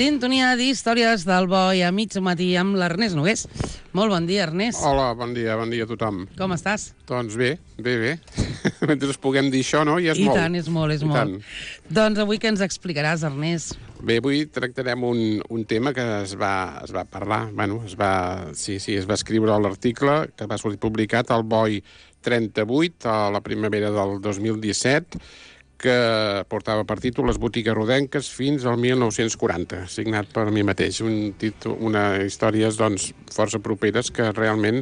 Sintonia d'històries del bo i a mig matí amb l'Ernest Nogués. Molt bon dia, Ernest. Hola, bon dia a tothom. Com estàs? Doncs bé. Mentre us puguem dir això, no? Ja és molt. I tant, és molt. Doncs avui què ens explicaràs, Ernest? Bé, avui tractarem un tema que es va parlar, es va escriure a l'article que va sortir publicat al BOI 38 a la primavera del 2017, que portava per títol Les botigues rodenques fins al 1940, signat per mi mateix. Una històries, doncs, força properes que realment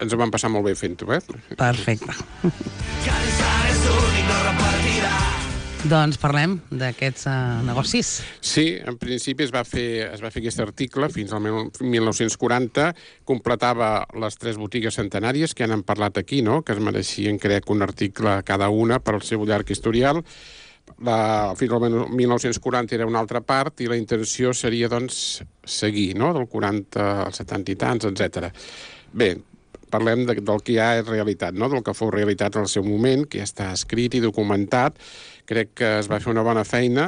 ens ho vam passar molt bé fent-ho, Perfecte. Doncs parlem d'aquests negocis. Sí, en principi es va fer aquest article fins al 1940, completava les 3 botigues centenàries que han parlat aquí, no? Que es mereixien, crec, un article cada una per al seu llarg historial. Fins al 1940 era una altra part i la intenció seria, doncs, seguir, no? Del 40 als 70 i tants, etc. Bé, parlem del que ja és realitat, no? Del que fou realitat en el seu moment, que ja està escrit i documentat. Crec que es va fer una bona feina.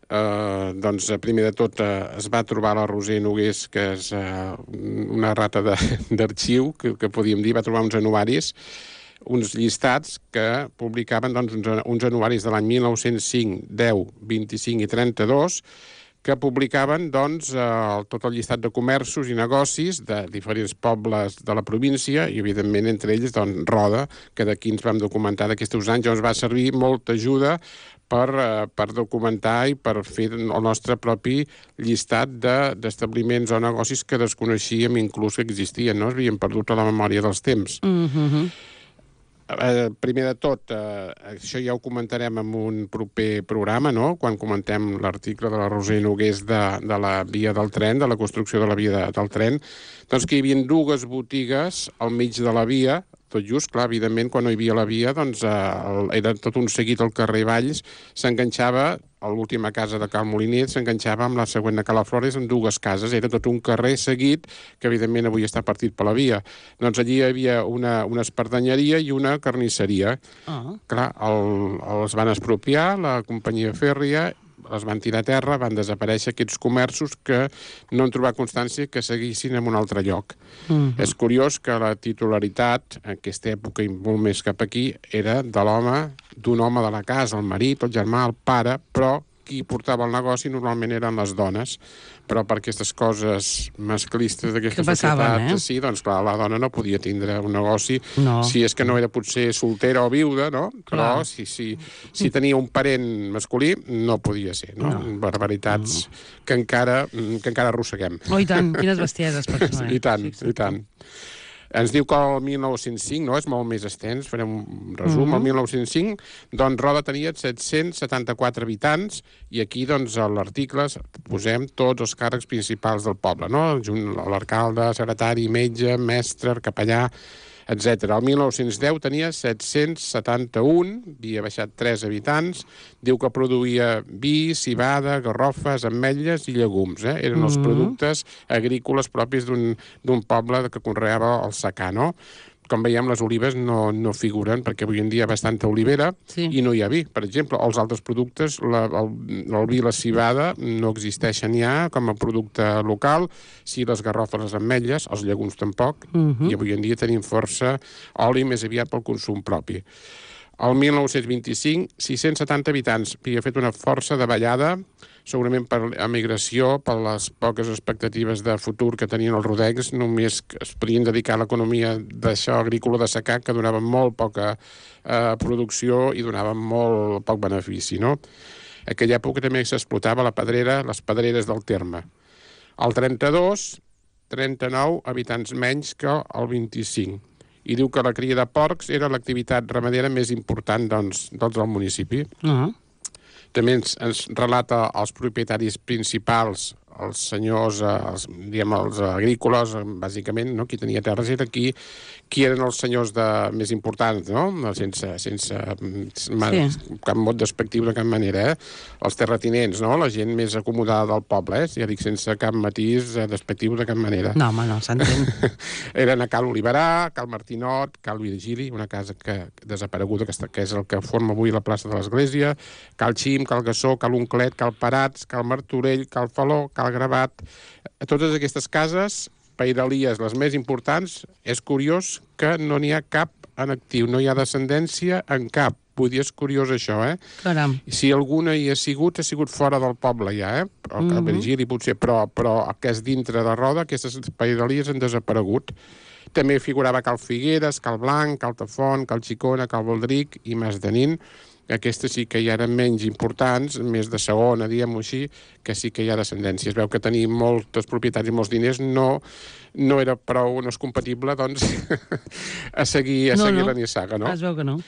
Doncs, primer de tot, es va trobar la Roser Nogués, que és una rata d'arxiu, que podíem dir, va trobar uns anuaris, uns llistats que publicaven uns anuaris de l'any 1905, 10, 25 i 32, que publicaven tot el llistat de comerços i negocis de diferents pobles de la província i, evidentment, entre ells, Roda, que d'aquí ens vam documentar d'aquests anys. Ens va servir molta ajuda per documentar i per fer el nostre propi llistat d'establiments o negocis que desconeixíem inclús que existien, no? Havíem perdut a la memòria dels temps. Primer de tot, això ja ho comentarem en un proper programa, no? Quan comentem l'article de la Roser Nogués de la via del tren, de la construcció de la via del tren, doncs que hi havia 2 botigues al mig de la via, tot just, clar, evidentment, quan no hi havia la via, doncs era tot un seguit al carrer Valls, s'enganxava a l'última casa de Cal Moliner, s'enganxava amb la següent de Calaflores en 2 cases, era tot un carrer seguit, que evidentment avui està partit per la via. Doncs allí hi havia una espardenyeria i una carnisseria. Clar, els van expropiar, la companyia fèrria, els van tirar a terra, van desaparèixer aquests comerços que no han trobat constància que seguissin en un altre lloc. És curiós que la titularitat, en aquesta època i molt més cap aquí, era d'un home de la casa, el marit, el germà, el pare, però qui portava el negoci normalment eren les dones. Però per aquestes coses masclistes d'aquesta societat, sí, doncs clar, la dona no podia tindre un negoci, si és que no era potser soltera o viuda, no? Però si tenia un parent masculí, no podia ser, no? Barbaritats que encara arrosseguem. Oh, i tant, quines bestieses, persones. I tant. Ens diu que el 1905, no? És molt més extens, farem un resum. El 1905, doncs, Roda tenia 774 habitants i aquí, doncs, a l'article posem tots els càrrecs principals del poble, no? L'alcalde, secretari, metge, mestre, capellà, etc. El 1910 tenia 771, havia baixat 3 habitants, diu que produïa vi, civada, garrofes, ametlles i llegums. Eren els productes agrícoles propis d'un poble que conreava el secà, no? Com veiem, les olives no figuren, perquè avui en dia hi ha bastanta olivera i no hi ha vi. Per exemple, els altres productes, el vi i la civada, no existeixen ja com a producte local. Sí, les garrofes, les ametlles, els llegums tampoc, i avui en dia tenim força oli més aviat pel consum propi. El 1925, 670 habitants. Havia fet una força davallada, segurament per emigració, per les poques expectatives de futur que tenien els rodencs, només es podien dedicar a l'economia d'això agrícola de secà, que donava molt poca producció i donava molt poc benefici, no? En aquella època també s'explotava les pedreres del terme. El 32, 39 habitants menys que el 25. I diu que la cria de porcs era l'activitat ramadera més important, doncs, del municipi. També ens relata els propietaris principals, els senyors, els agrícoles, bàsicament, no? Qui tenia terres era qui eren els senyors més importants, no? Sense cap mot despectiu de cap manera, els terratinents, no? La gent més acomodada del poble, ja dic, sense cap matís despectiu de cap manera. No, home, no, s'entén. Eren a Cal Oliverà, Cal Martinot, Cal Virgili, una casa desapareguda, que és el que forma avui la plaça de l'Església, Cal Xim, Cal Gassó, Cal Unclet, Cal Parats, Cal Martorell, Cal Faló, Cal Gravat. A totes aquestes cases pairalies, les més importants, és curiós que no n'hi ha cap en actiu, no hi ha descendència en cap. Vull dir, és curiós això, Caram. Si alguna hi ha sigut fora del poble ja, El Virgili potser, però que és dintre de Roda, aquestes pairalies han desaparegut. També figurava Cal Figueres, Cal Blanc, Cal Tafont, Cal Xicona, Cal Baldric i Mas de Nin. Aquestes sí que ja eren menys importants, més de segona, diguem-ho així, que sí que hi ha descendència. Es veu que tenir moltes propietats i molts diners no era prou, no és compatible, doncs, a seguir la nissaga, no? Es veu que no.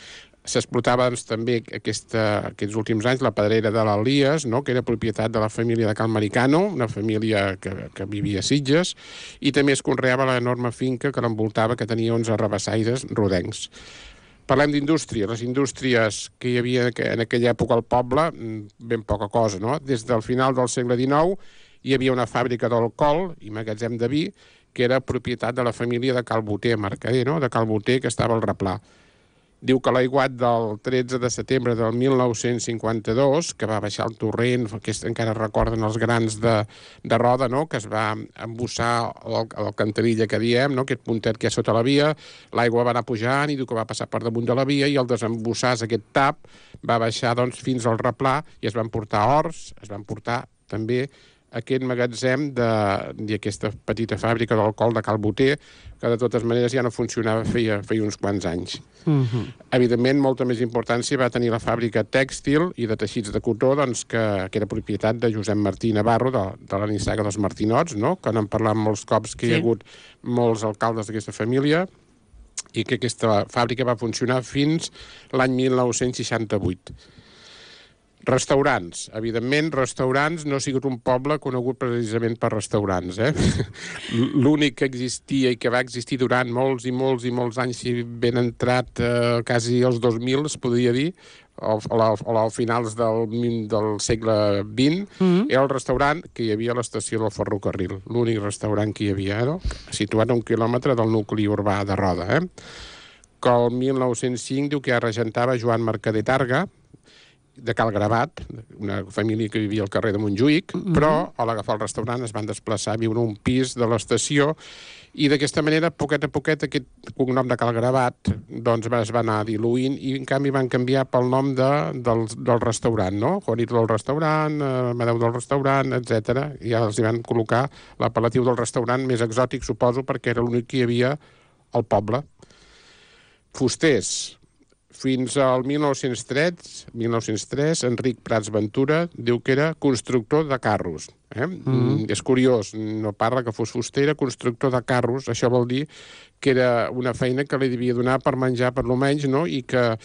S'explotava doncs, també aquests últims anys la pedrera de l'Elies, no? Que era propietat de la família de Cal Maricano, una família que vivia a Sitges, i també es conreava l'enorme finca que l'envoltava, que tenia 11 rabassaires rodencs. Parlem d'indústria. Les indústries que hi havia en aquella època al poble, ben poca cosa, no? Des del final del segle XIX hi havia una fàbrica d'alcohol i magatzem de vi que era propietat de la família de Cal Boter, mercader, no? De Cal Boter, que estava al Replà. Diu que l'aiguat del 13 de setembre del 1952, que va baixar el torrent, que encara recorden els grans de Roda, no? Que es va embussar l'alcantarilla que diem, no? Aquest puntet que hi ha sota la via, l'aigua va anar pujant i diu que va passar per damunt de la via i al desembussar aquest tap va baixar doncs, fins al Replà i es van portar horts, es van portar també aquest magatzem d'aquesta petita fàbrica d'alcohol de Cal Boter, que de totes maneres ja no funcionava feia uns quants anys. Evidentment, molta més importància va tenir la fàbrica tèxtil i de teixits de cotó, doncs, que era propietat de Josep Martí Navarro, de la nissaga dels Martinots, no? Que n'hem parlat molts cops, que hi ha hagut molts alcaldes d'aquesta família, i que aquesta fàbrica va funcionar fins l'any 1968. Restaurants. Evidentment, restaurants no ha sigut un poble conegut precisament per restaurants. L'únic que existia i que va existir durant molts i molts i molts anys, si ben entrat quasi als 2000, es podria dir, a finals del segle XX, era el restaurant que hi havia a l'estació del ferrocarril. L'únic restaurant que hi havia, situat a 1 quilòmetre del nucli urbà de Roda. Que el 1905 diu que ja regentava Joan Mercader Targa, de Cal Gravat, una família que vivia al carrer de Montjuïc, però a l'agafar el restaurant es van desplaçar a viure un pis de l'estació i d'aquesta manera, poquet a poquet, aquest cognom de Cal Gravat doncs, es va anar diluint i en canvi van canviar pel nom del restaurant, no? Juanito del restaurant, Amadeu del restaurant, etc. I ja els van col·locar l'apel·latiu del restaurant més exòtic, suposo, perquè era l'únic que hi havia al poble. Fusters. Fins al 1903, Enric Prats Ventura diu que era constructor de carros. És curiós, no parla que fos fuster, era constructor de carros. Això vol dir que era una feina que li devia donar per menjar per lo menys, no? I que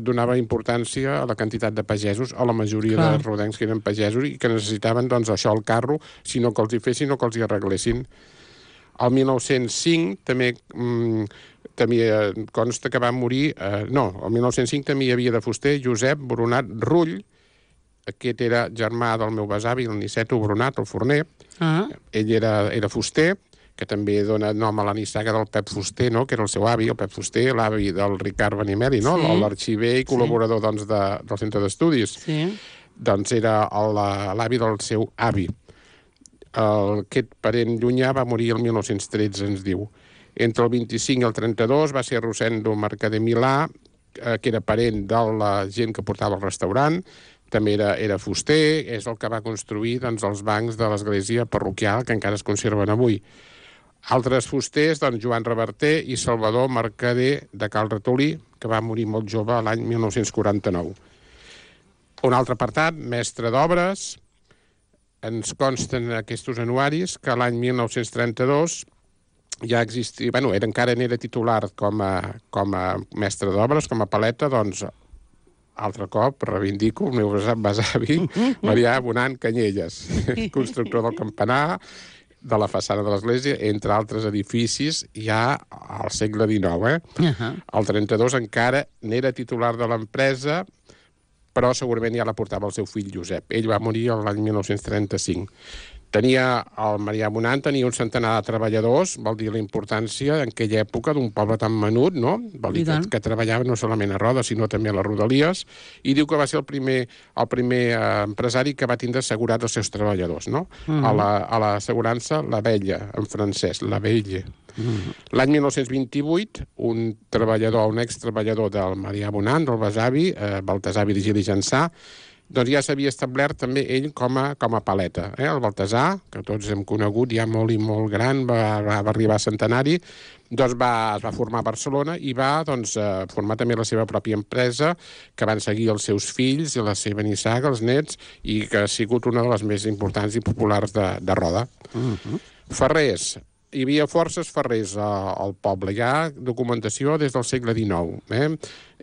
donava importància a la quantitat de pagesos, a la majoria de rodencs que eren pagesos i que necessitaven doncs, això, el carro, si no que els hi fessin o que els hi arreglessin. El 1905 també consta que va morir... el 1905 també hi havia de fuster Josep Boronat Rull, aquest era germà del meu besavi, el Niceto Boronat, el forner. Ell era fuster, que també dona nom a la nissaga del Pep Fuster, no? Que era el seu avi, el Pep Fuster, l'avi del Ricard Benimeli, no? L'arxiver i col·laborador doncs, del centre d'estudis. Doncs era l'avi del seu avi. Aquest parent llunyà va morir el 1913, ens diu. Entre el 25 i el 32 va ser Rosendo Mercader Milà, que era parent de la gent que portava el restaurant, també era fuster, és el que va construir doncs, els bancs de l'església parroquial que encara es conserven avui. Altres fusters, doncs, Joan Reverter i Salvador Mercader de Cal Ratolí, que va morir molt jove l'any 1949. Un altre apartat, mestre d'obres. Ens consten aquests anuaris que l'any 1932 ja existia, encara n'era titular com a mestre d'obres, com a paleta, doncs altre cop, reivindico el meu besavi, Marià Bonant Canyelles, constructor del campanar, de la façana de l'església, entre altres edificis, ja al segle XIX. El 32 encara n'era titular de l'empresa, però segurament ja la portava el seu fill Josep. Ell va morir l'any 1935. El Marià Bonant tenia un centenar de treballadors, vol dir la importància en aquella època d'un poble tan menut, no? Vol dir que treballava no solament a Roda, sinó també a les Rodalies, i diu que va ser el primer empresari que va tindre assegurats els seus treballadors, no? A l'assegurança La Vella, en francès, La Velle. L'any 1928, un extreballador del Marià Bonant, del besavi, Baltasar Virgili Jansà, doncs ja s'havia establert també ell com a paleta. El Baltasar, que tots hem conegut, ja molt i molt gran, va arribar a centenari, doncs es va formar a Barcelona i va formar també la seva pròpia empresa, que van seguir els seus fills i la seva nissaga, els nets, i que ha sigut una de les més importants i populars de Roda. Ferrers. Hi havia forces ferrers al poble, hi ha documentació des del segle XIX.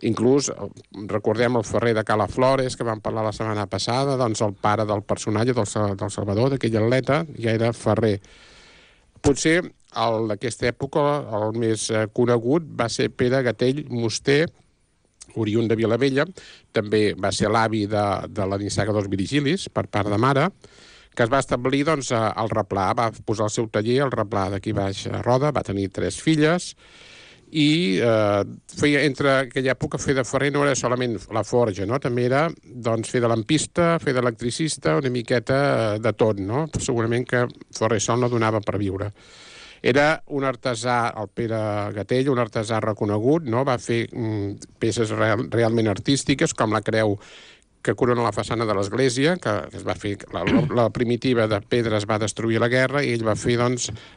Inclús, recordem el ferrer de Cala Flores, que vam parlar la setmana passada, doncs el pare del personatge del Salvador, d'aquell atleta, ja era ferrer. Potser d'aquesta època el més conegut va ser Pere Gatell Musté, oriünd de Vilavella, també va ser l'avi de la nissaga dels Virgilis, per part de mare, que es va establir al Replà, va posar el seu taller al Replà d'aquí baix a Roda, va tenir 3 filles, i entre aquella època fer de ferrer no era solament la forja, no? També era fer de lampista, fer d'electricista, una miqueta de tot, no? Segurament que ferrer sol no donava per viure. Era un artesà, el Pere Gatell, un artesà reconegut, no? Va fer peces realment artístiques, com la creu que corona la façana de l'església, que es va fer, la primitiva de pedra es va destruir a la guerra, i ell va fer,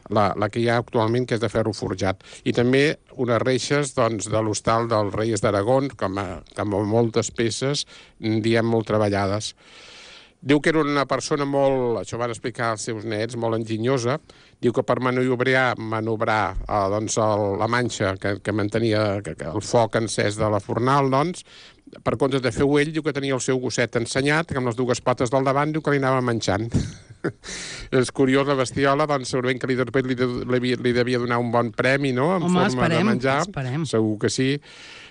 la que hi ha actualment, que és de ferro forjat. I també unes reixes, de l'hostal dels Reis d'Aragó, com moltes peces, diem, molt treballades. Diu que era una persona molt, això van explicar els seus nets, molt enginyosa. Diu que per manobrar la manxa que mantenia el foc encès de la fornal, per compte de fer-ho ell, diu que tenia el seu gosset ensenyat, que amb les 2 potes del davant diu que li anava manxant. És curiós, la bestiola, segurament que li devia donar un bon premi, no?, en forma de menjar. Segur que sí.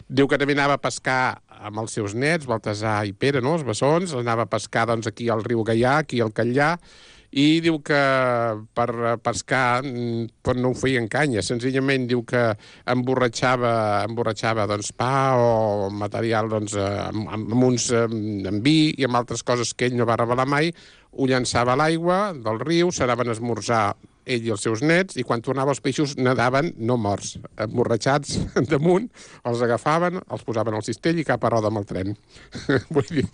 Diu que també anava a pescar amb els seus nets, Baltasar i Pere, no?, els bessons, anava a pescar aquí al riu Gaià, aquí al Catllà, i diu que per pescar no ho feia en canya, senzillament diu que emborratxava pa o material amb vi i amb altres coses que ell no va revelar mai, ho llançava a l'aigua del riu, s'anaven a esmorzar ell i els seus nets, i quan tornava els peixos nadaven no morts, emborratxats damunt, els agafaven, els posaven al cistell i cap a Roda amb el tren. Vull dir...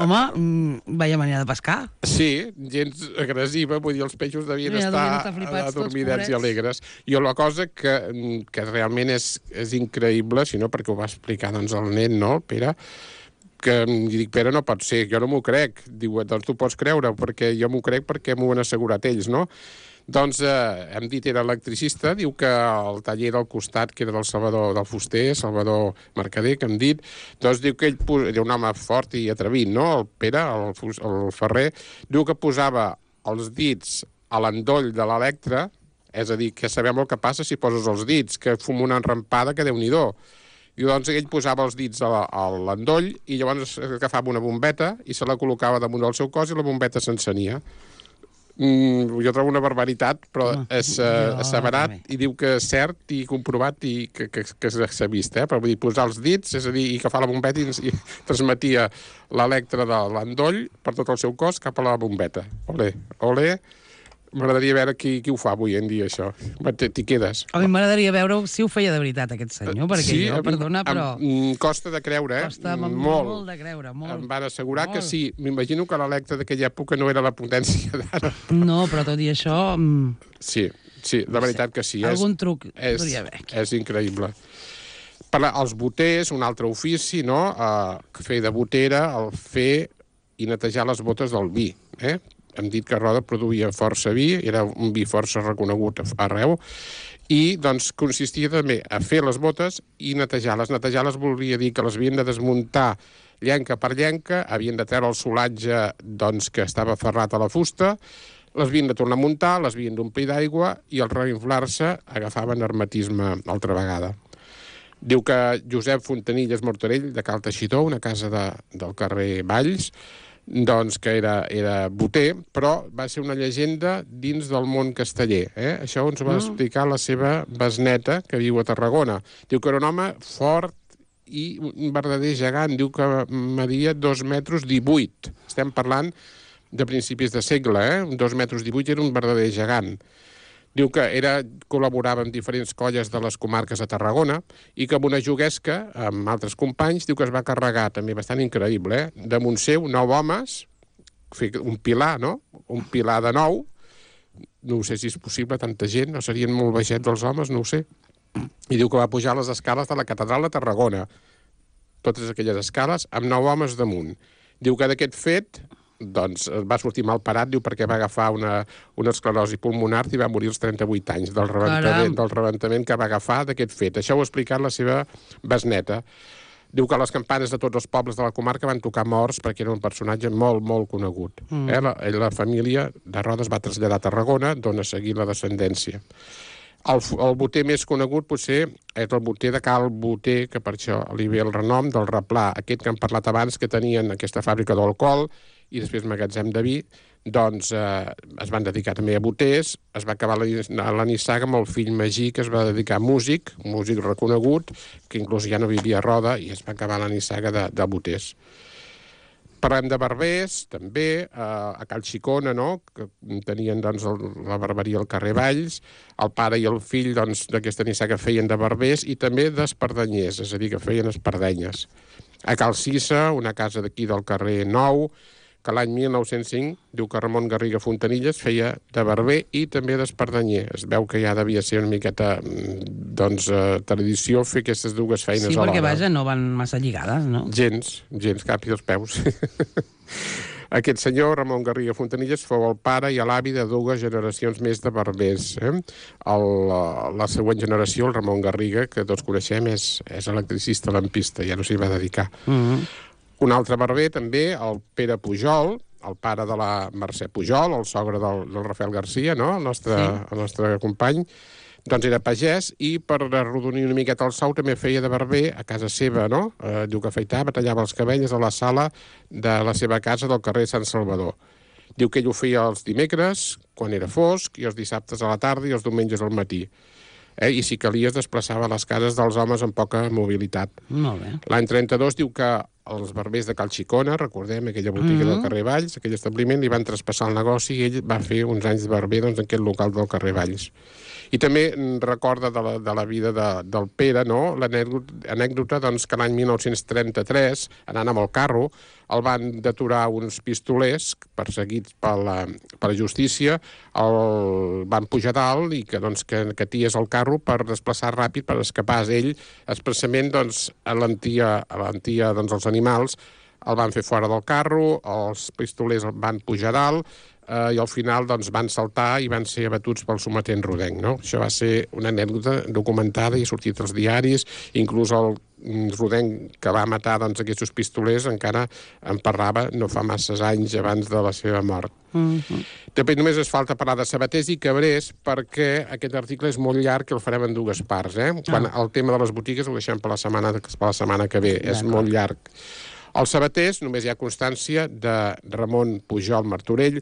Home, veia manera de pescar. Sí, gens agressiva, vull dir, els peixos devien estar adormidats i alegres. I la cosa que realment és increïble, si no, perquè ho va explicar el net, no, Pere, que dic, Pere, no pot ser, jo no m'ho crec. Diu, doncs tu pots creure, perquè jo m'ho crec perquè m'ho han assegurat ells, no? Doncs, hem dit, era electricista, diu que el taller del costat, que era del Salvador, del fuster, Salvador Mercader, que hem dit, doncs diu que ell era un home fort i atrevit, no?, el Pere, el ferrer, diu que posava els dits a l'endoll de l'electre, és a dir, que sabem el que passa si poses els dits, que fuma una enrampada que Déu-n'hi-do. I doncs ell posava els dits a l'endoll i llavors agafava una bombeta i se la col·locava damunt del seu cos i la bombeta s'encenia. Jo trobo una barbaritat, però és asseverat i diu que és cert i comprovat i que s'ha vist, però vull dir, posar els dits, és a dir, i agafar la bombeta i transmetia l'electre de l'endoll per tot el seu cos cap a la bombeta. Olé, olé. M'agradaria veure qui ho fa avui en dia, això. T'hi quedes. A mi m'agradaria veure si ho feia de veritat, aquest senyor, perquè jo, perdona, però... Costa de creure, Costa molt de creure, molt. Em van assegurar que sí. M'imagino que l'electre d'aquella època no era la potència d'ara. No, però tot i això... Sí, la veritat que sí. Algun truc podria haver. És increïble. Els boters, un altre ofici, no?, fer de botera, el fer i netejar les botes del vi, Hem dit que Roda produïa força vi, era un vi força reconegut arreu, i doncs consistia també a fer les botes i netejar-les. Netejar-les volia dir que les havien de desmuntar llenca per llenca, havien de treure el solatge doncs, que estava ferrat a la fusta, les havien de tornar a muntar, les havien d'omplir d'aigua i al reinflar-se agafaven hermetisme altra vegada. Diu que Josep Fontanilles Martorell, de Cal Teixidor, una casa del carrer Valls, doncs que era boter, però va ser una llegenda dins del món casteller. Això ens ho va explicar la seva besneta, que viu a Tarragona. Diu que era un home fort i un verdader gegant. Diu que media 2,18 metres. Estem parlant de principis de segle, 2,18 metres era un verdader gegant. Diu que col·laborava amb diferents colles de les comarques de Tarragona i que amb una juguesca, amb altres companys, diu que es va carregar, també bastant increïble, damunt seu 9 homes, un pilar, no? Un pilar de 9, no sé si és possible, tanta gent, no serien molt baixets els homes, no ho sé. I diu que va pujar les escales de la catedral de Tarragona, totes aquelles escales, amb 9 homes damunt. Diu que d'aquest fet doncs va sortir mal parat, diu, perquè va agafar una esclerosi pulmonar i va morir als 38 anys del rebentament que va agafar d'aquest fet. Això ho ha explicat la seva besneta. Diu que les campanes de tots els pobles de la comarca van tocar morts perquè era un personatge molt, molt conegut. La família de Rodes va traslladar a Tarragona, d'on ha seguit la descendència. El boter més conegut potser és el boter de Cal Boter, que per això li ve el renom del Replà, aquest que hem parlat abans, que tenien aquesta fàbrica d'alcohol i després magatzem de vi, doncs es van dedicar també a boters. Es va acabar la nissaga amb el fill Magí, que es va dedicar a músic reconegut, que inclús ja no vivia a Roda, i es va acabar la nissaga de boters. Parlem de barbers, també, a Cal Xicona, no?, que tenien doncs, la barberia al carrer Valls, el pare i el fill d'aquesta nissaga feien de barbers i també d'espardanyers, és a dir, que feien espardenyes. A Cal Cissa, una casa d'aquí del carrer Nou, que l'any 1905, diu que Ramon Garriga Fontanilles feia de barber i també d'espardanyer. Es veu que ja devia ser una miqueta tradició fer aquestes dues feines alhora. Sí, perquè, vaja, no van massa lligades, no? Gens, cap i els peus. Aquest senyor, Ramon Garriga Fontanilles, fou el pare i l'avi de 2 generacions més de barbers. La següent generació, el Ramon Garriga, que tots coneixem, és electricista lampista, ja no s'hi va dedicar. Un altre barber, també, el Pere Pujol, el pare de la Mercè Pujol, el sogre del Rafael Garcia, no?, el nostre company, doncs era pagès i per arrodonir una miqueta el sou també feia de barber a casa seva, no? Diu que afeitava, tallava els cabells a la sala de la seva casa del carrer Sant Salvador. Diu que ell ho feia els dimecres, quan era fosc, i els dissabtes a la tarda i els diumenges al matí. I si calia es desplaçava a les cases dels homes amb poca mobilitat. Molt bé. L'any 32 diu que els barbers de Cal Xicona, recordem, aquella botiga del carrer Valls, aquell establiment, li van traspassar el negoci i ell va fer uns anys de barber en aquest local del carrer Valls. I també recorda de la vida del Pere, no?, l'anècdota que l'any 1933, anant amb el carro, el van deturar uns pistolers perseguits per la justícia, el van pujar dalt i que ties el carro per desplaçar ràpid, per escapar ell, expressament alentia els animals, el van fer fora del carro, els pistolers el van pujar dalt, i al final van saltar i van ser abatuts pel sometent rodenc, no? Això va ser una anècdota documentada i ha sortit als diaris, inclús el rodenc que va matar aquests pistolers encara en parlava no fa masses anys abans de la seva mort. També només es falta parlar de sabaters i cabrers perquè aquest article és molt llarg i el farem en 2 parts. Quan el tema de les botigues ho deixem per la setmana que ve, és molt llarg. Els sabaters, només hi ha constància de Ramon Pujol Martorell.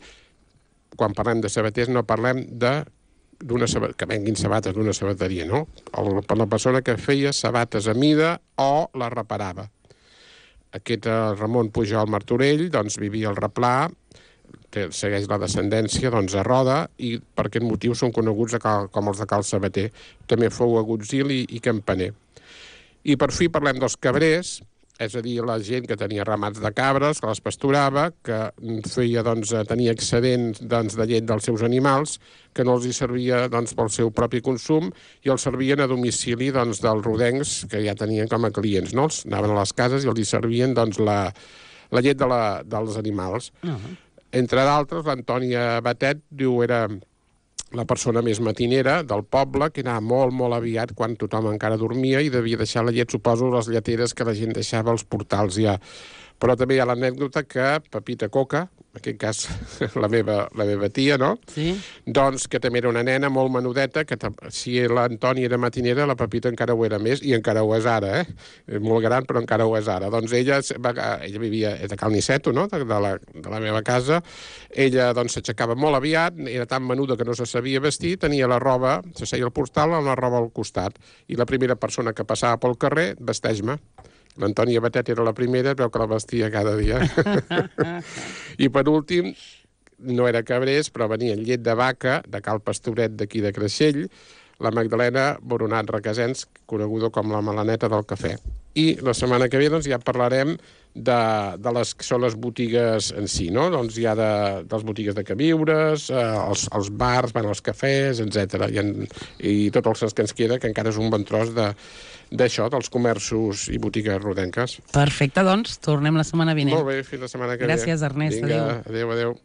Quan parlem de sabaters no parlem que venguin sabates d'una sabateria, no? Per la persona que feia sabates a mida o la reparava. Aquest Ramon Pujol Martorell vivia al Replà, segueix la descendència a Roda i per aquest motiu són coneguts com els de Cal Sabater. També fou agutzil i campaner. I per fi parlem dels cabrers, és a dir, la gent que tenia ramats de cabres, que les pasturava, que tenia excedents de llet dels seus animals, que no els hi servia pel seu propi consum i els servien a domicili dels rodencs que ja tenien com a clients, no? Els anaven a les cases i els hi servien la llet dels animals. Entre d'altres, l'Antònia Batet, diu, era la persona més matinera del poble, que anava molt, molt aviat quan tothom encara dormia i devia deixar la llet, suposo, les lleteres que la gent deixava als portals ja. Però també hi ha l'anècdota que Pepita Coca, en aquest cas la meva tia, no? Sí. Doncs que també era una nena molt menudeta, que si l'Antònia era matinera, la Pepita encara ho era més, i encara ho és ara, molt gran, però encara ho és ara. Doncs ella vivia de Cal Niceto, no? de la meva casa. Ella doncs s'aixecava molt aviat, era tan menuda que no se sabia vestir, tenia la roba, se seia al portal amb la roba al costat. I la primera persona que passava pel carrer, vesteix-me. L'Antònia Batet era la primera, es veu que la vestia cada dia. I per últim, no era cabrers, però venien llet de vaca, de Cal Pastoret d'aquí de Creixell, la Magdalena Boronat Requesens, coneguda com la Melaneta del cafè. I la setmana que ve doncs, ja parlarem de les que són les botigues en si, no? Doncs hi ha de les botigues de queviures, els bars, els cafès, etc. I tot el que ens queda, que encara és un bon tros d'això, dels comerços i botigues rodenques. Perfecte, doncs, tornem la setmana vinent. Molt bé, fins la setmana que ve. Gràcies, Ernest. Vinga, adéu.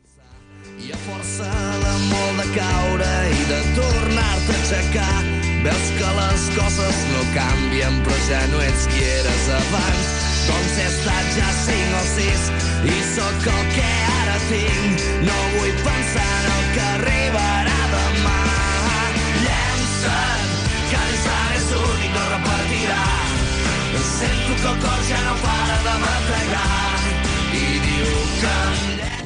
I a força de molt de caure i de tornar-te a aixecar, veus que les coses no canvien, però ja no ets qui eres abans. Doncs he estat ja 5 o 6 i sóc el que ara tinc. No vull pensar en el que arribarà demà. Llença't, que l'instant és únic, no repetirà. Sento que el cor ja no para de bategar.